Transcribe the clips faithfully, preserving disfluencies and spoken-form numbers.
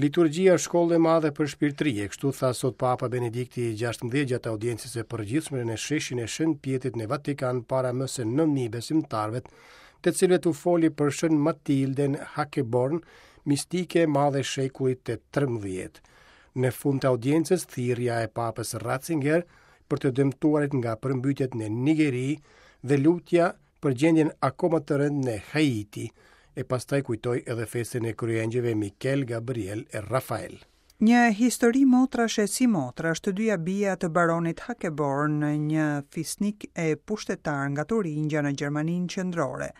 Liturgjia është shkollë e madhe për shpirtërie, kështu tha sot Papa Benedikti i gjashtëmbëdhjetë gjatë audiencës së përgjithshme në sheshin e Shën Pjetrit në Vatikan para më se nëntë mijë besimtarëve, të cilët u foli për Shën Matilden Hackeborn, mistike e madhe e shekullit të trembëdhjetë. Në fund të audiencës, thirrja e Papës Ratzinger për të dëmtuarit nga përmbytjet në Nigeri dhe lutja për gjendjen akoma të rëndë në Haiti, e pastaj kujtoi edhe festën e kryengjëve Mikel, Gabriel e Rafael. Një histori motrash e si motrash, të dyja bija të baronit Hackeborn, një fisnik e pushtetar nga Turingia në Gjermaninë qendrore,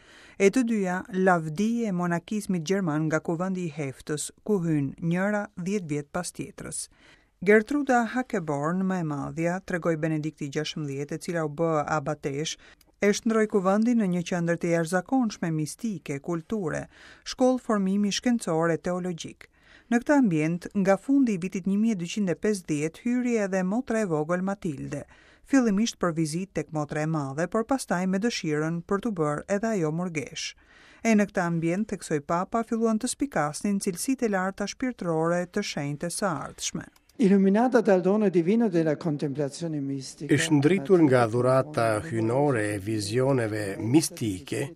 e të dyja lavdi e monakizmit gjerman nga kuvendi i Heftës, ku hyn njëra dhjetë vjet pas tjetrës. Gertruda Hackeborn, më e madhja, tregoi Benedikti gjashtëmbëdhjetë, e cila u bë abatesh, e shndroi kuvendin në një qendër të jashtëzakonshme mistike, kulture, shkollë formimi shkencor e teologjik. Në këtë ambient, nga fundi i vitit një mijë e dyqind e pesëdhjetë hyri edhe motra e vogël Matilde, fillimisht për vizitë tek motra e madhe, por pastaj me dëshirën për t'u bërë edhe ajo murgesh. E në këtë ambient, theksoi Papa, filluan të spikasnin cilësitë e larta shpirtërore të shenjtës së ardhshme. Illuminata dal dono divino della contemplazione mistica. E shndritur nga dhurata hyjnore e vizioneve mistike,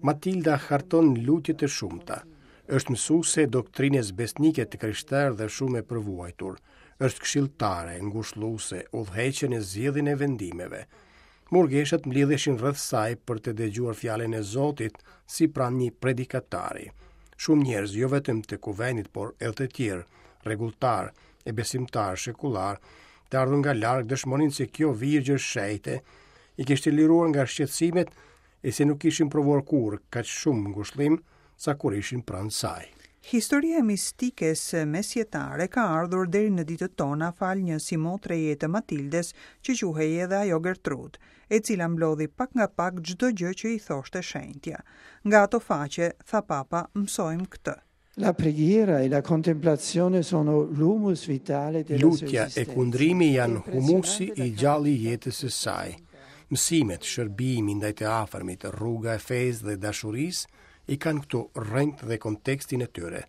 Matilda harton lutje të shumta. Është mësuese e doktrinës besnike të krishterë dhe shumë e përvuajtur. Është këshilltare, ngushëlluese, udhëheqje në zgjedhjen e vendimeve. Murgeshat mblidheshin rreth saj për të dëgjuar fjalën e Zotit si pranë një predikatari. Shumë njerëz, jo vetëm të kuvendit, por edhe të tjerë, rregulltar e besimtar shekullar, të ardhur nga larg dëshmonin se kjo virgjër shenjte i kishte liruar nga shqetësimet e se nuk kishin provuar kurrë kaq shumë ngushëllim sa kur ishin pranë saj. Historia e mistikes mesjetare ka ardhur deri në ditët tona fal një simotreje të Matildes që quhej edhe ajo Gertrud, e cila mblodhi pak nga pak çdo gjë që i thoshte shenjtja. Nga ato faqe, tha Papa, mësojmë këtë. La preghiera e la contemplazione sono l'humus vitale della sua Lutja e esistenza. kundrimi janë humusi i gjallë i jetës së saj. Mësimet, shërbimi ndaj të afërmit, rruga e fesë dhe dashurisë i kanë këtu rrënjët dhe kontekstin e tyre.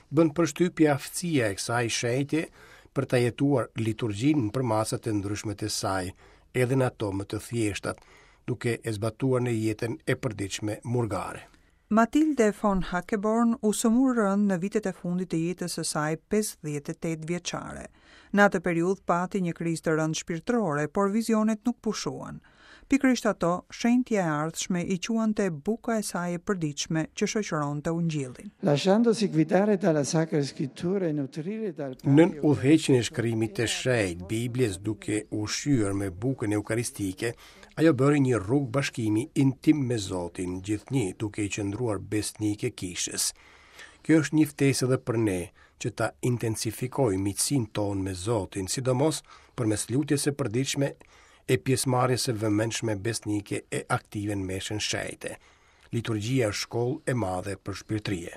Bën përshtypje aftësia e kësaj shenjte për ta jetuar liturgjinë në përmasat e ndryshme të saj, edhe në ato më të thjeshtat, duke e zbatuar në jetën e përditshme murgare. Matilde von Hackeborn u sëmur rënd në vitet e fundit të jetës së saj pesëdhjetë e tetë vjeçare. Në atë periudhë pati një krizë të rëndë shpirtërore, por vizionet nuk pushuan. Pikërisht ato, shenjtja e ardhshme i quante buka e saj e përditshme që shoqëronte ungjillin. Lasciandosi guidare dalla Sacra Scrittura e nutrire dal pane Nën udhëheqjen e shkrimit të shenjtë, Biblës, duke u ushqyer me bukën eukaristike, ajo bëri një rrugë bashkimi intim me Zotin, gjithnjë duke i qëndruar besnike kishës. Kjo është një ftesë edhe për ne, që ta intensifikojmë miqësinë tonë me Zotin, sidomos përmes lutjes së përditshme e pjesëmarrjes së vëmendshme besnike e aktive në meshën shenjte. Liturgjia është shkollë e madhe për shpirtërie.